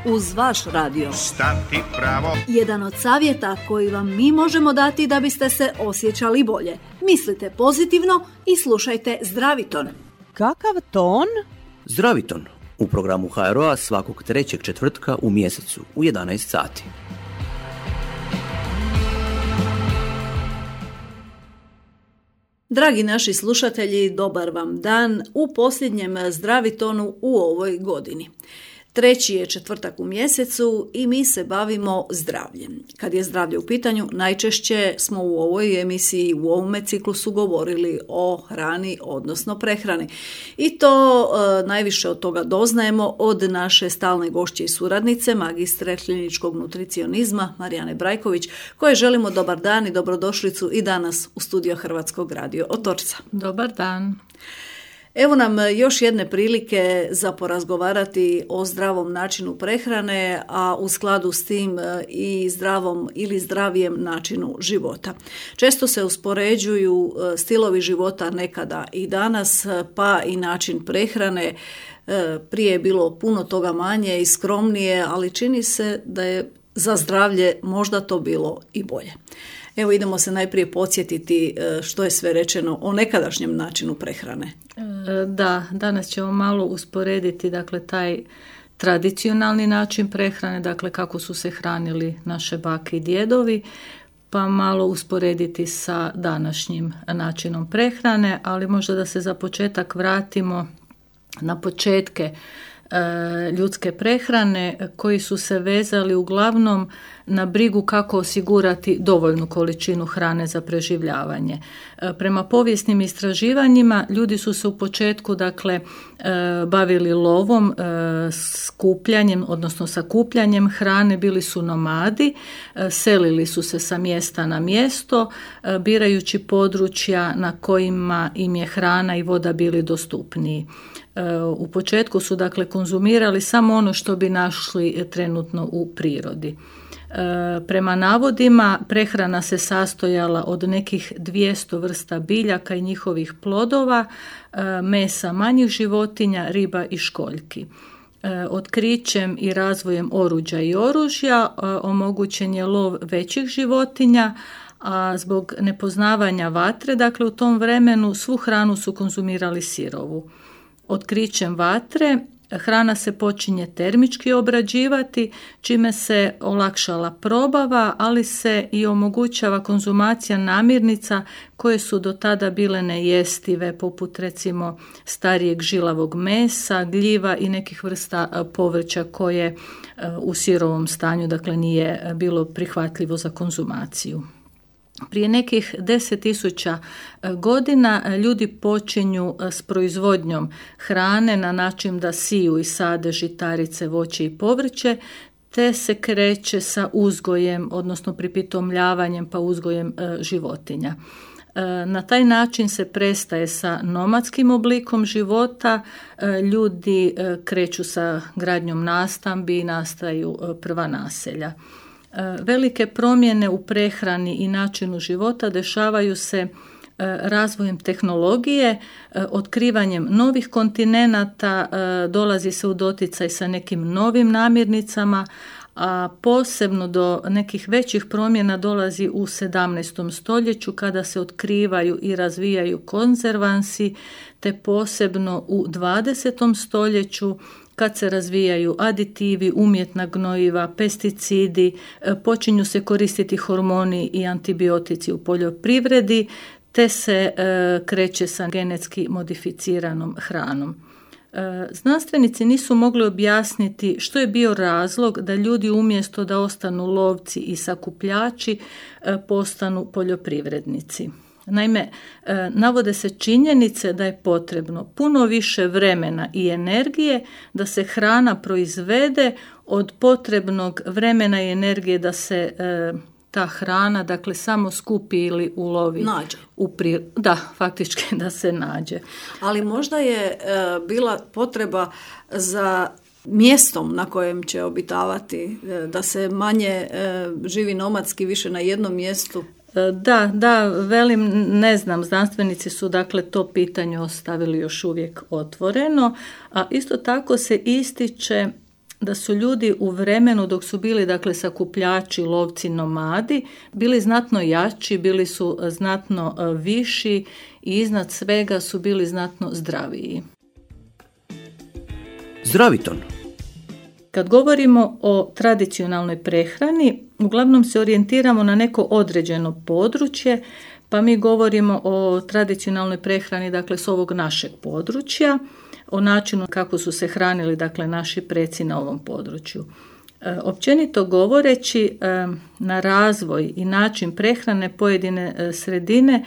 uz vaš radio. Stati pravo. Jedan od savjeta koji vam mi možemo dati da biste se osjećali bolje. Mislite pozitivno i slušajte Zdraviton. Kakav ton? Zdraviton u programu HRO-a svakog trećeg četvrtka u mjesecu u 11 sati. Dragi naši slušatelji, dobar vam dan u posljednjem Zdravitonu u ovoj godini. Treći je četvrtak u mjesecu i mi se bavimo zdravljem. Kad je zdravlje u pitanju, najčešće smo u ovoj emisiji, u ovome ciklusu govorili o hrani, odnosno prehrani. I to najviše od toga doznajemo od naše stalne gošće i suradnice, magistre kliničkog nutricionizma Marijane Brajković, koje želimo dobar dan i dobrodošlicu i danas u studio Hrvatskog radio Otočca. Dobar dan. Evo nam još jedne prilike za porazgovarati o zdravom načinu prehrane, a u skladu s tim i zdravom ili zdravijem načinu života. Često se uspoređuju stilovi života nekada i danas, pa i način prehrane. Prije je bilo puno toga manje i skromnije, ali čini se da je za zdravlje možda to bilo i bolje. Evo idemo se najprije podsjetiti što je sve rečeno o nekadašnjem načinu prehrane. Da, danas ćemo malo usporediti taj tradicionalni način prehrane, kako su se hranili naše bake i djedovi, pa malo usporediti sa današnjim načinom prehrane, ali možda da se za početak vratimo na početke ljudske prehrane koji su se vezali uglavnom na brigu kako osigurati dovoljnu količinu hrane za preživljavanje. Prema povijesnim istraživanjima ljudi su se u početku bavili lovom, skupljanjem, odnosno sakupljanjem hrane, bili su nomadi, selili su se sa mjesta na mjesto, birajući područja na kojima im je hrana i voda bili dostupniji. U početku su konzumirali samo ono što bi našli trenutno u prirodi. Prema navodima prehrana se sastojala od nekih 200 vrsta biljaka i njihovih plodova, mesa manjih životinja, riba i školjki. Otkrićem i razvojem oruđa i oružja omogućen je lov većih životinja, a zbog nepoznavanja vatre, u tom vremenu svu hranu su konzumirali sirovu. Otkrićem vatre hrana se počinje termički obrađivati, čime se olakšala probava, ali se i omogućava konzumacija namirnica koje su do tada bile nejestive, poput recimo starijeg žilavog mesa, gljiva i nekih vrsta povrća koje u sirovom stanju nije bilo prihvatljivo za konzumaciju. Prije nekih 10.000 godina ljudi počinju s proizvodnjom hrane na način da siju i sade žitarice, voće i povrće, te se kreće sa uzgojem, odnosno pripitomljavanjem pa uzgojem životinja. Na taj način se prestaje sa nomadskim oblikom života, ljudi kreću sa gradnjom nastambi i nastaju prva naselja. Velike promjene u prehrani i načinu života dešavaju se razvojem tehnologije, otkrivanjem novih kontinenata, dolazi se u doticaj sa nekim novim namirnicama, a posebno do nekih većih promjena dolazi u 17. stoljeću kada se otkrivaju i razvijaju konzervansi, te posebno u 20. stoljeću kad se razvijaju aditivi, umjetna gnojiva, pesticidi, počinju se koristiti hormoni i antibiotici u poljoprivredi, te se kreće sa genetski modificiranom hranom. Znanstvenici nisu mogli objasniti što je bio razlog da ljudi umjesto da ostanu lovci i sakupljači postanu poljoprivrednici. Naime, navode se činjenice da je potrebno puno više vremena i energije da se hrana proizvede od potrebnog vremena i energije da se ta hrana, samo skupi ili ulovi. Nađe. Da, faktički da se nađe. Ali možda je bila potreba za mjestom na kojem će obitavati, da se manje živi nomadski, više na jednom mjestu. Da, velim, ne znam, znanstvenici su to pitanje ostavili još uvijek otvoreno, a isto tako se ističe da su ljudi u vremenu dok su bili dakle sakupljači, lovci, nomadi, bili znatno jači, bili su znatno viši i iznad svega su bili znatno zdraviji. Zdraviton. Kad govorimo o tradicionalnoj prehrani, uglavnom se orijentiramo na neko određeno područje, pa mi govorimo o tradicionalnoj prehrani dakle s ovog našeg područja, o načinu kako su se hranili dakle naši preci na ovom području. Općenito govoreći, na razvoj i način prehrane pojedine sredine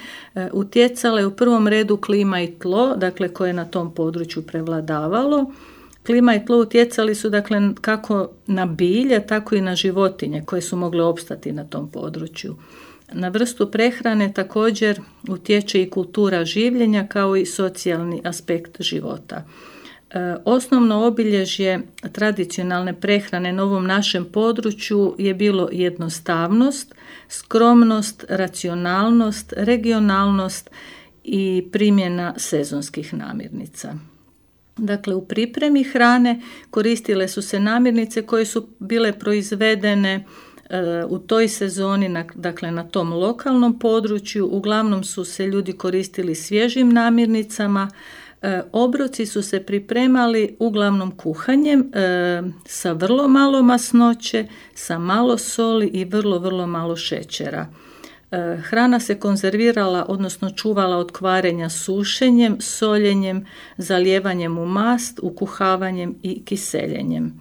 utjecala je u prvom redu klima i tlo, dakle koje je na tom području prevladavalo. Klima i tlo utjecali su dakle kako na bilje, tako i na životinje koje su mogle opstati na tom području. Na vrstu prehrane također utječe i kultura življenja kao i socijalni aspekt života. Osnovno obilježje tradicionalne prehrane na ovom našem području je bilo jednostavnost, skromnost, racionalnost, regionalnost i primjena sezonskih namirnica. Dakle, u pripremi hrane koristile su se namirnice koje su bile proizvedene u toj sezoni, dakle na tom lokalnom području. Uglavnom su se ljudi koristili svježim namirnicama. Obroci su se pripremali uglavnom kuhanjem sa vrlo malo masnoće, sa malo soli i vrlo malo šećera. Hrana se konzervirala, odnosno čuvala od kvarenja sušenjem, soljenjem, zalijevanjem u mast, ukuhavanjem i kiseljenjem.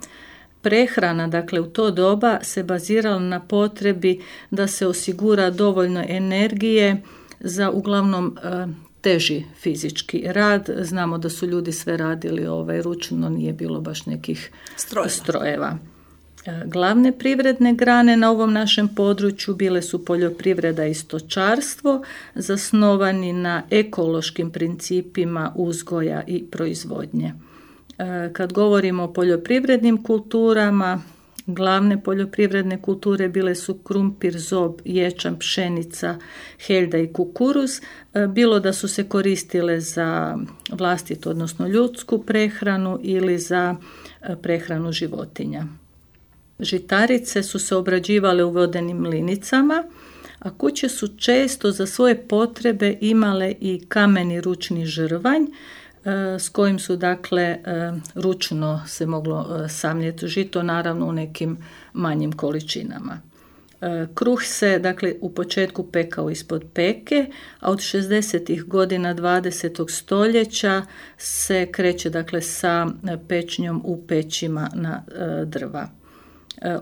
Prehrana, dakle, u to doba se bazirala na potrebi da se osigura dovoljno energije za uglavnom teži fizički rad. Znamo da su ljudi sve radili ručno, nije bilo baš nekih strojeva. Glavne privredne grane na ovom našem području bile su poljoprivreda i stočarstvo, zasnovani na ekološkim principima uzgoja i proizvodnje. Kad govorimo o poljoprivrednim kulturama, glavne poljoprivredne kulture bile su krumpir, zob, ječam, pšenica, heljda i kukuruz, bilo da su se koristile za vlastitu, odnosno ljudsku prehranu ili za prehranu životinja. Žitarice su se obrađivale u vodenim mlinicama, a kuće su često za svoje potrebe imale i kameni ručni žrvanj, s kojim su dakle ručno se moglo samljeti žito, naravno u nekim manjim količinama. Kruh se dakle u početku pekao ispod peke, a od 60. godina 20. stoljeća se kreće dakle sa pečnjom u pećima na drva.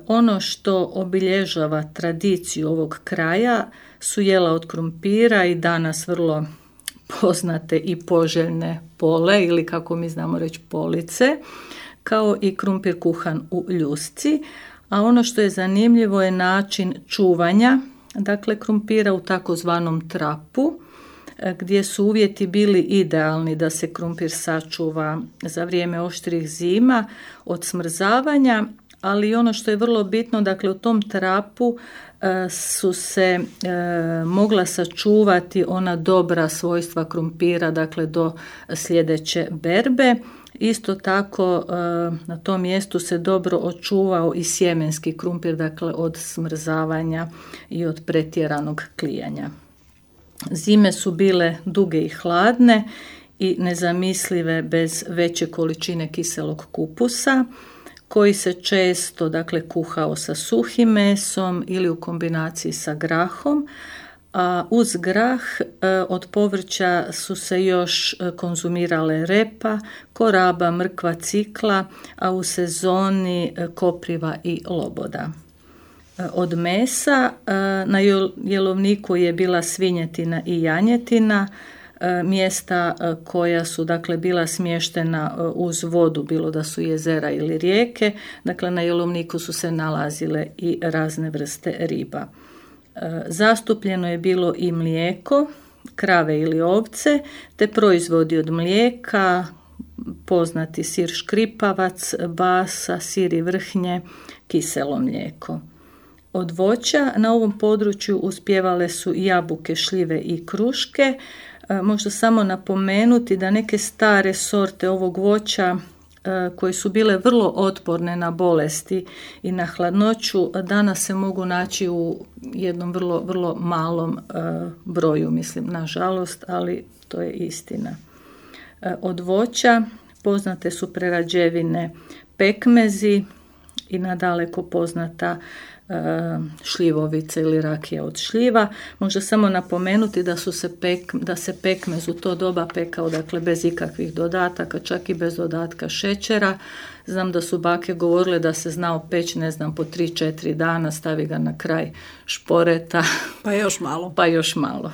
Ono što obilježava tradiciju ovog kraja su jela od krumpira i danas vrlo poznate i poželjne pole ili kako mi znamo reći police, kao i krumpir kuhan u ljusci, a ono što je zanimljivo je način čuvanja, dakle krumpira u takozvanom trapu, gdje su uvjeti bili idealni da se krumpir sačuva za vrijeme oštrih zima od smrzavanja, ali ono što je vrlo bitno, dakle u tom trapu su se mogla sačuvati ona dobra svojstva krumpira, dakle do sljedeće berbe. Isto tako na tom mjestu se dobro očuvao i sjemenski krumpir, dakle od smrzavanja i od pretjeranog klijanja. Zime su bile duge i hladne i nezamislive bez veće količine kiselog kupusa, koji se često dakle kuhao sa suhim mesom ili u kombinaciji sa grahom, a uz grah od povrća su se još konzumirale repa, koraba, mrkva, cikla, a u sezoni kopriva i loboda. Od mesa na jelovniku je bila svinjetina i janjetina, mjesta koja su dakle bila smještena uz vodu, bilo da su jezera ili rijeke, dakle na jelovniku su se nalazile i razne vrste riba. Zastupljeno je bilo i mlijeko, krave ili ovce, te proizvodi od mlijeka, poznati sir škripavac, basa, sir i vrhnje, kiselo mlijeko. Od voća na ovom području uspijevale su jabuke, šljive i kruške. Možda samo napomenuti da neke stare sorte ovog voća koje su bile vrlo otporne na bolesti i na hladnoću, danas se mogu naći u jednom vrlo, vrlo malom broju, mislim, nažalost, ali to je istina. Od voća poznate su prerađevine pekmezi i nadaleko poznata šljivovica ili rakija od šljiva. Možda samo napomenuti da se pekmez u to doba pekao, dakle, bez ikakvih dodataka, čak i bez dodatka šećera. Znam da su bake govorile da se znao peći, ne znam, po 3-4 dana, stavi ga na kraj šporeta. Pa još malo. Pa još malo.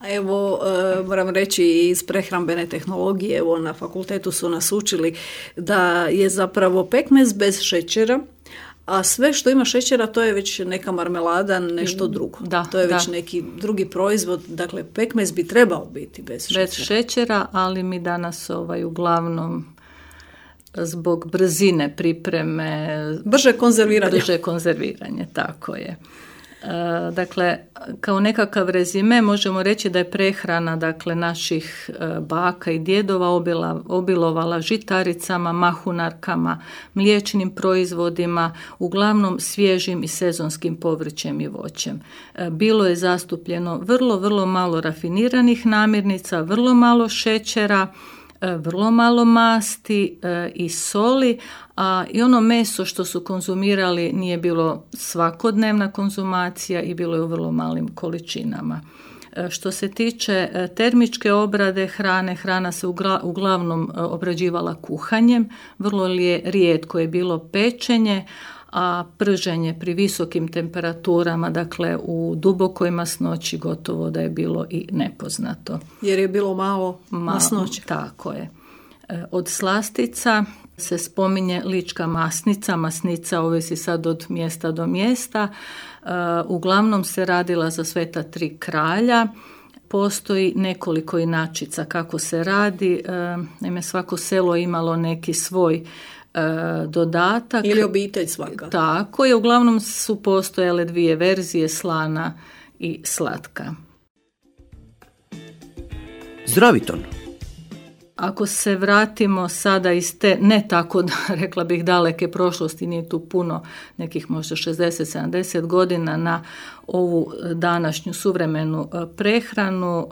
Evo, moram reći, iz prehrambene tehnologije, evo, na fakultetu su nas učili da je zapravo pekmez bez šećera, a sve što ima šećera to je već neka marmelada, nešto drugo. To je već neki drugi proizvod, dakle pekmez bi trebao biti bez šećera. Bez šećera, ali mi danas uglavnom zbog brzine pripreme... Brže konzerviranje, tako je. Dakle, kao nekakav rezime možemo reći da je prehrana, dakle, naših baka i djedova obilovala žitaricama, mahunarkama, mliječnim proizvodima, uglavnom svježim i sezonskim povrćem i voćem. Bilo je zastupljeno vrlo, vrlo malo rafiniranih namirnica, vrlo malo šećera, vrlo malo masti i soli, a i ono meso što su konzumirali nije bilo svakodnevna konzumacija i bilo je u vrlo malim količinama. Što se tiče termičke obrade hrane, hrana se uglavnom obrađivala kuhanjem, vrlo rijetko je bilo pečenje, a prženje pri visokim temperaturama, dakle u dubokoj masnoći, gotovo da je bilo i nepoznato. Jer je bilo malo masnoće. Tako je. Od slastica se spominje lička masnica. Masnica ovisi sad od mjesta do mjesta. Uglavnom se radila za Sveta tri kralja. Postoji nekoliko inačica kako se radi. Naime, svako selo je imalo neki svoj dodatak. Ili obitelj svaka. Tako je, uglavnom su postojale dvije verzije, slana i slatka. Zdraviton. Ako se vratimo sada iz te ne tako, rekla bih, daleke prošlosti, nije tu puno, nekih možda 60-70 godina, na ovu današnju suvremenu prehranu,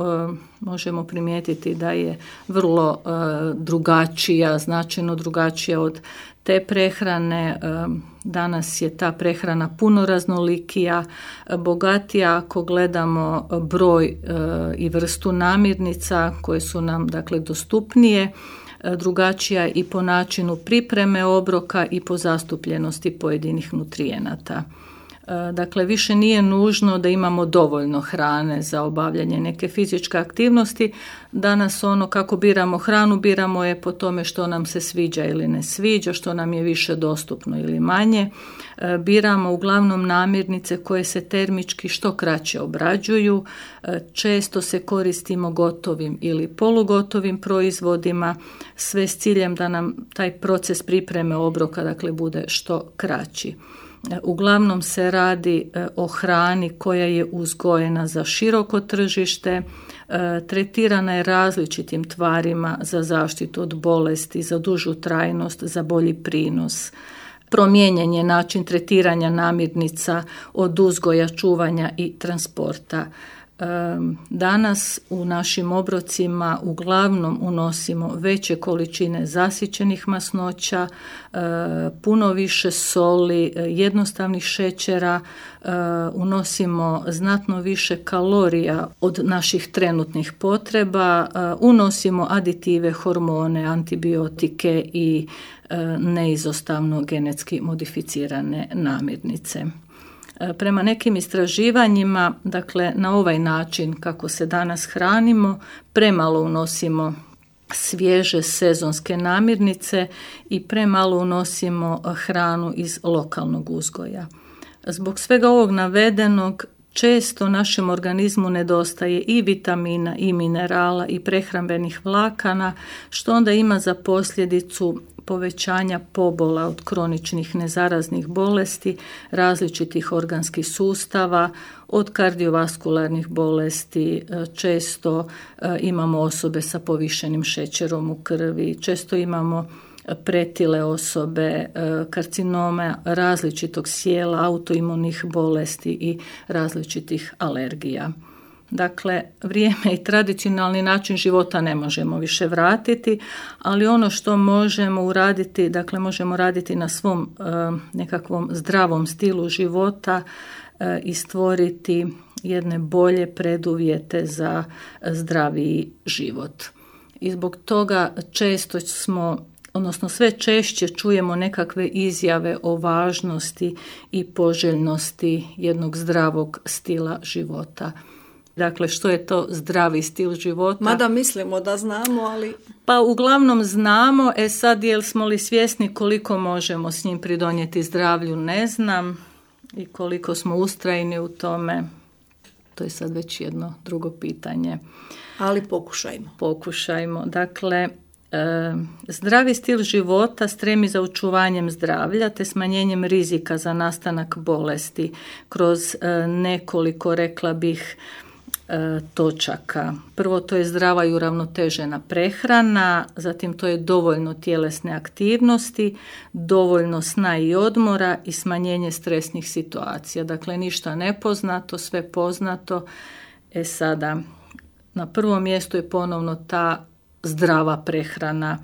možemo primijetiti da je vrlo drugačija, značajno drugačija od te prehrane. Danas je ta prehrana puno raznolikija, bogatija ako gledamo broj i vrstu namirnica koje su nam, dakle, dostupnije, drugačija i po načinu pripreme obroka i po zastupljenosti pojedinih nutrijenata. Dakle, više nije nužno da imamo dovoljno hrane za obavljanje neke fizičke aktivnosti. Danas ono kako biramo hranu, biramo je po tome što nam se sviđa ili ne sviđa, što nam je više dostupno ili manje. Biramo uglavnom namirnice koje se termički što kraće obrađuju. Često se koristimo gotovim ili polugotovim proizvodima, sve s ciljem da nam taj proces pripreme obroka, dakle, bude što kraći. Uglavnom se radi o hrani koja je uzgojena za široko tržište, tretirana je različitim tvarima za zaštitu od bolesti, za dužu trajnost, za bolji prinos. Promijenjen je način tretiranja namirnica od uzgoja, čuvanja i transporta. Danas u našim obrocima uglavnom unosimo veće količine zasićenih masnoća, puno više soli, jednostavnih šećera, unosimo znatno više kalorija od naših trenutnih potreba, unosimo aditive, hormone, antibiotike i neizostavno genetski modificirane namirnice. Prema nekim istraživanjima, dakle, na ovaj način kako se danas hranimo, premalo unosimo svježe sezonske namirnice i premalo unosimo hranu iz lokalnog uzgoja. Zbog svega ovog navedenog, često našem organizmu nedostaje i vitamina, i minerala, i prehrambenih vlakana, što onda ima za posljedicu povećanja pobola od kroničnih nezaraznih bolesti, različitih organskih sustava, od kardiovaskularnih bolesti. Često imamo osobe sa povišenim šećerom u krvi, često imamo pretile osobe, karcinoma različitog sjela, autoimunih bolesti i različitih alergija. Dakle, vrijeme i tradicionalni način života ne možemo više vratiti, ali ono što možemo uraditi, dakle možemo raditi na svom nekakvom zdravom stilu života i stvoriti jedne bolje preduvjete za zdraviji život. I zbog toga često sve češće čujemo nekakve izjave o važnosti i poželjnosti jednog zdravog stila života. Dakle, što je to zdravi stil života? Mada mislimo da znamo, ali... Pa uglavnom znamo, sad jesmo li svjesni koliko možemo s njim pridonijeti zdravlju, ne znam, i koliko smo ustrajni u tome, to je sad već jedno drugo pitanje. Ali pokušajmo. Dakle, zdravi stil života stremi za očuvanjem zdravlja te smanjenjem rizika za nastanak bolesti kroz nekoliko, rekla bih, točaka. Prvo, to je zdrava i uravnotežena prehrana, zatim to je dovoljno tjelesne aktivnosti, dovoljno sna i odmora i smanjenje stresnih situacija. Dakle, ništa nepoznato, sve poznato. Sada, na prvom mjestu je ponovno ta zdrava prehrana.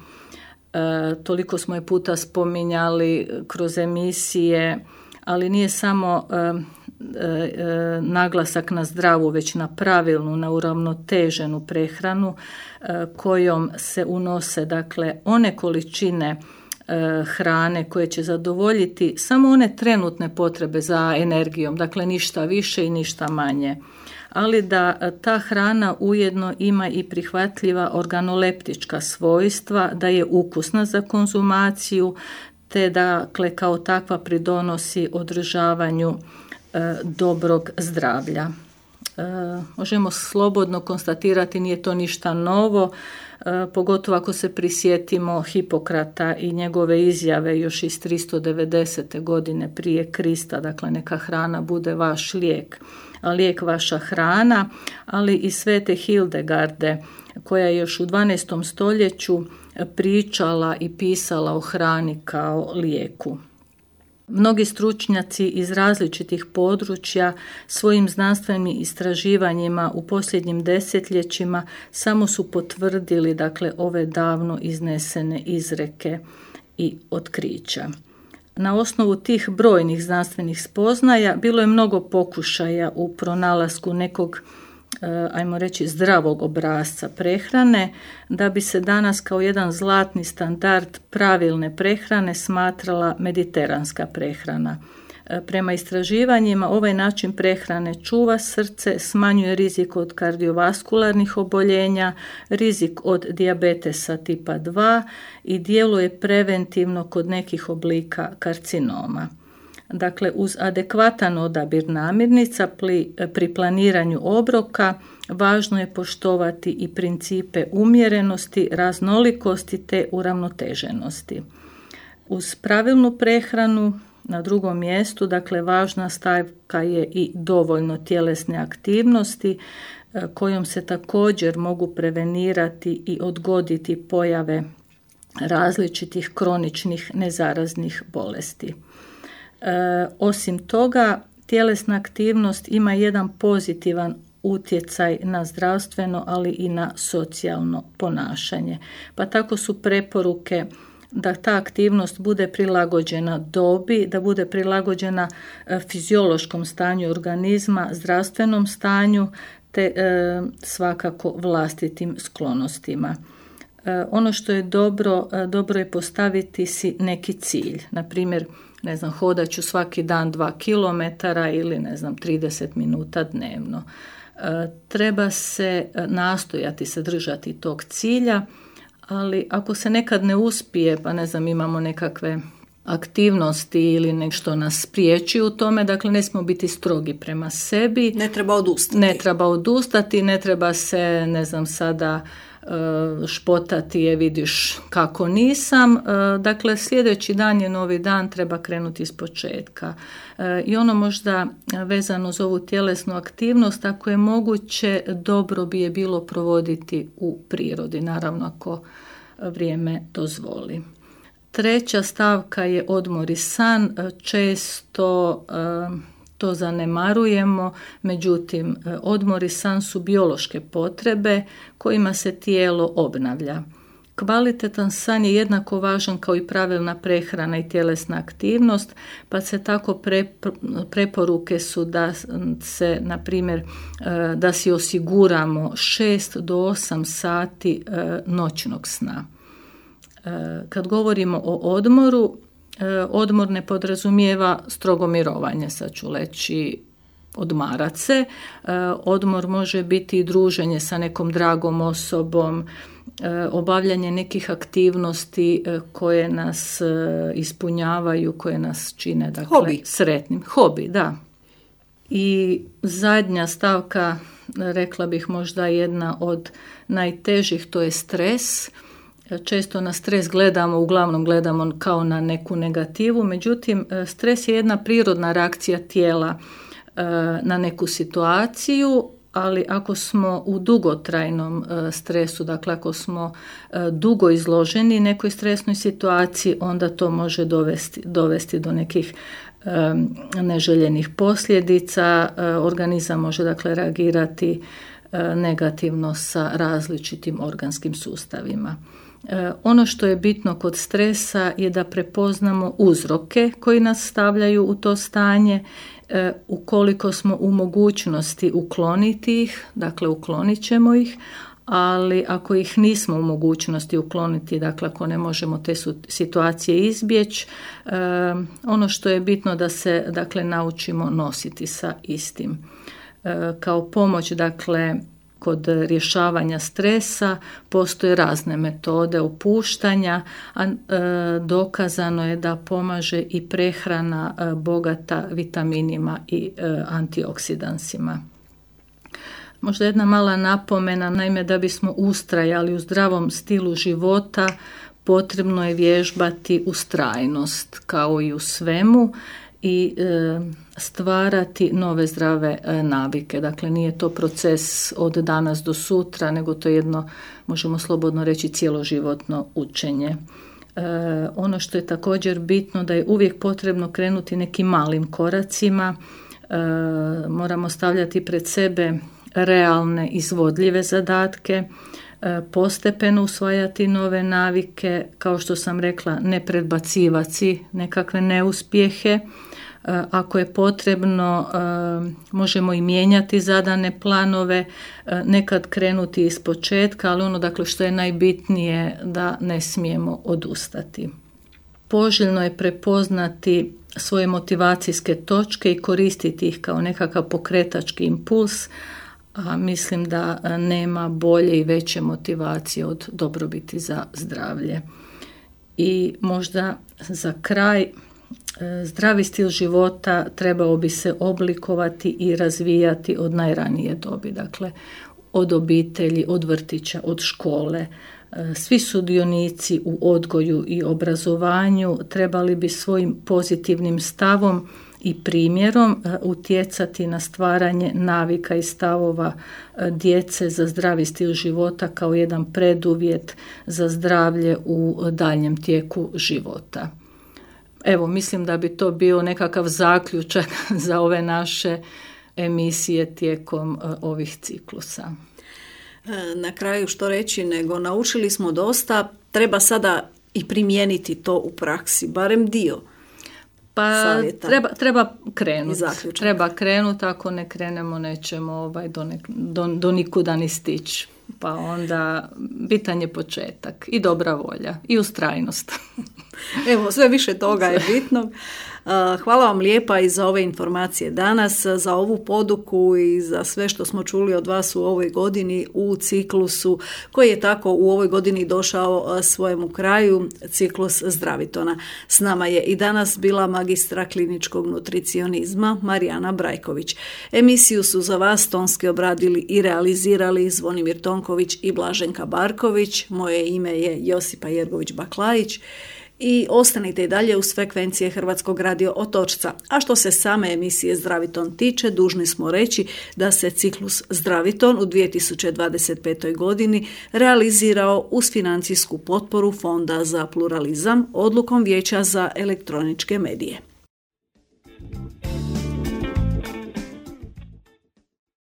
Toliko smo je puta spominjali kroz emisije, ali nije samo naglasak na zdravu, već na pravilnu, na uravnoteženu prehranu kojom se unose, dakle, one količine hrane koje će zadovoljiti samo one trenutne potrebe za energijom, dakle ništa više i ništa manje. Ali da ta hrana ujedno ima i prihvatljiva organoleptička svojstva, da je ukusna za konzumaciju, te dakle kao takva pridonosi održavanju dobrog zdravlja. Možemo slobodno konstatirati, nije to ništa novo, pogotovo ako se prisjetimo Hipokrata i njegove izjave još iz 390. godine prije Krista, dakle neka hrana bude vaš lijek, a lijek vaša hrana, ali i svete Hildegarde koja je još u 12. stoljeću pričala i pisala o hrani kao lijeku. Mnogi stručnjaci iz različitih područja svojim znanstvenim istraživanjima u posljednjim desetljećima samo su potvrdili, dakle, ove davno iznesene izreke i otkrića. Na osnovu tih brojnih znanstvenih spoznaja bilo je mnogo pokušaja u pronalasku nekog, ajmo reći, zdravog obrasca prehrane, da bi se danas kao jedan zlatni standard pravilne prehrane smatrala mediteranska prehrana. Prema istraživanjima ovaj način prehrane čuva srce, smanjuje rizik od kardiovaskularnih oboljenja, rizik od dijabetesa tipa 2 i djeluje preventivno kod nekih oblika karcinoma. Dakle, uz adekvatan odabir namirnica pri planiranju obroka važno je poštovati i principe umjerenosti, raznolikosti te uravnoteženosti. Uz pravilnu prehranu na drugom mjestu, dakle, važna stavka je i dovoljno tjelesne aktivnosti kojom se također mogu prevenirati i odgoditi pojave različitih kroničnih nezaraznih bolesti. Osim toga, tjelesna aktivnost ima jedan pozitivan utjecaj na zdravstveno, ali i na socijalno ponašanje. Pa tako su preporuke da ta aktivnost bude prilagođena dobi, da bude prilagođena fiziološkom stanju organizma, zdravstvenom stanju, te svakako vlastitim sklonostima. Ono što je dobro je postaviti si neki cilj. Na primjer, hodat ću svaki dan 2 km ili 30 minuta dnevno. Treba se nastojati se držati tog cilja, ali ako se nekad ne uspije, pa imamo nekakve aktivnosti ili nešto nas spriječi u tome, dakle ne smijemo biti strogi prema sebi. Ne treba odustati, ne treba se, sada špotati, vidiš kako nisam. Dakle, sljedeći dan je novi dan, treba krenuti iz početka. I ono možda vezano za ovu tjelesnu aktivnost, ako je moguće, dobro bi je bilo provoditi u prirodi, naravno ako vrijeme dozvoli. Treća stavka je odmor i san. Često to zanemarujemo, međutim odmor i san su biološke potrebe kojima se tijelo obnavlja. Kvalitetan san je jednako važan kao i pravilna prehrana i tjelesna aktivnost, pa se tako preporuke su da se, na primjer, da si osiguramo 6 do 8 sati noćnog sna. Kad govorimo o odmoru, odmor ne podrazumijeva strogo mirovanje, sad ću reći odmarat se. Odmor može biti i druženje sa nekom dragom osobom, obavljanje nekih aktivnosti koje nas ispunjavaju, koje nas čine sretnim. Hobi, da. I zadnja stavka, rekla bih možda jedna od najtežih, to je stres. Često na stres uglavnom gledamo kao na neku negativu, međutim stres je jedna prirodna reakcija tijela na neku situaciju, ali ako smo u dugotrajnom stresu, dakle ako smo dugo izloženi nekoj stresnoj situaciji, onda to može dovesti do nekih neželjenih posljedica. Organizam može dakle reagirati negativno sa različitim organskim sustavima. Ono što je bitno kod stresa je da prepoznamo uzroke koji nas stavljaju u to stanje. Ukoliko smo u mogućnosti ukloniti ih, dakle uklonit ćemo ih, ali ako ih nismo u mogućnosti ukloniti, dakle ako ne možemo te situacije izbjeći, ono što je bitno da se dakle naučimo nositi sa istim. Kao pomoć, dakle, kod rješavanja stresa postoje razne metode opuštanja, a dokazano je da pomaže i prehrana bogata vitaminima i antioksidansima. Možda jedna mala napomena, naime da bismo ustrajali u zdravom stilu života, potrebno je vježbati ustrajnost kao i u svemu i stvarati nove zdrave navike. Dakle, nije to proces od danas do sutra, nego to je jedno, možemo slobodno reći, cjeloživotno učenje. Ono što je također bitno da je uvijek potrebno krenuti nekim malim koracima. Moramo stavljati pred sebe realne, izvodljive zadatke, postepeno usvajati nove navike, kao što sam rekla, ne predbacivati nekakve neuspjehe. Ako je potrebno, možemo i mijenjati zadane planove, nekad krenuti iz početka, ali ono dakle što je najbitnije da ne smijemo odustati. Poželjno je prepoznati svoje motivacijske točke i koristiti ih kao nekakav pokretački impuls, a mislim da nema bolje i veće motivacije od dobrobiti za zdravlje. I možda za kraj, zdravi stil života trebao bi se oblikovati i razvijati od najranije dobi, dakle od obitelji, od vrtića, od škole. Svi sudionici u odgoju i obrazovanju trebali bi svojim pozitivnim stavom i primjerom utjecati na stvaranje navika i stavova djece za zdravi stil života kao jedan preduvjet za zdravlje u daljnjem tijeku života. Evo, mislim da bi to bio nekakav zaključak za ove naše emisije tijekom ovih ciklusa. Na kraju što reći, nego naučili smo dosta, treba sada i primijeniti to u praksi, barem dio. Pa treba krenuti. Treba krenuti, ako ne krenemo nećemo do nikuda ni stići. Pa onda bitan je početak i dobra volja i ustrajnost. Evo, sve više toga je bitno. Hvala vam lijepa i za ove informacije danas, za ovu poduku i za sve što smo čuli od vas u ovoj godini u ciklusu koji je tako u ovoj godini došao svojemu kraju, ciklus Zdravitona. S nama je i danas bila magistra kliničkog nutricionizma Marijana Brajković. Emisiju su za vas tonski obradili i realizirali Zvonimir Tonković i Blaženka Barković. Moje ime je Josipa Jergović Baklajić. I ostanite i dalje uz frekvencije Hrvatskog radio Otočca. A što se same emisije Zdraviton tiče, dužni smo reći da se ciklus Zdraviton u 2025. godini realizirao uz financijsku potporu Fonda za pluralizam odlukom Vijeća za elektroničke medije.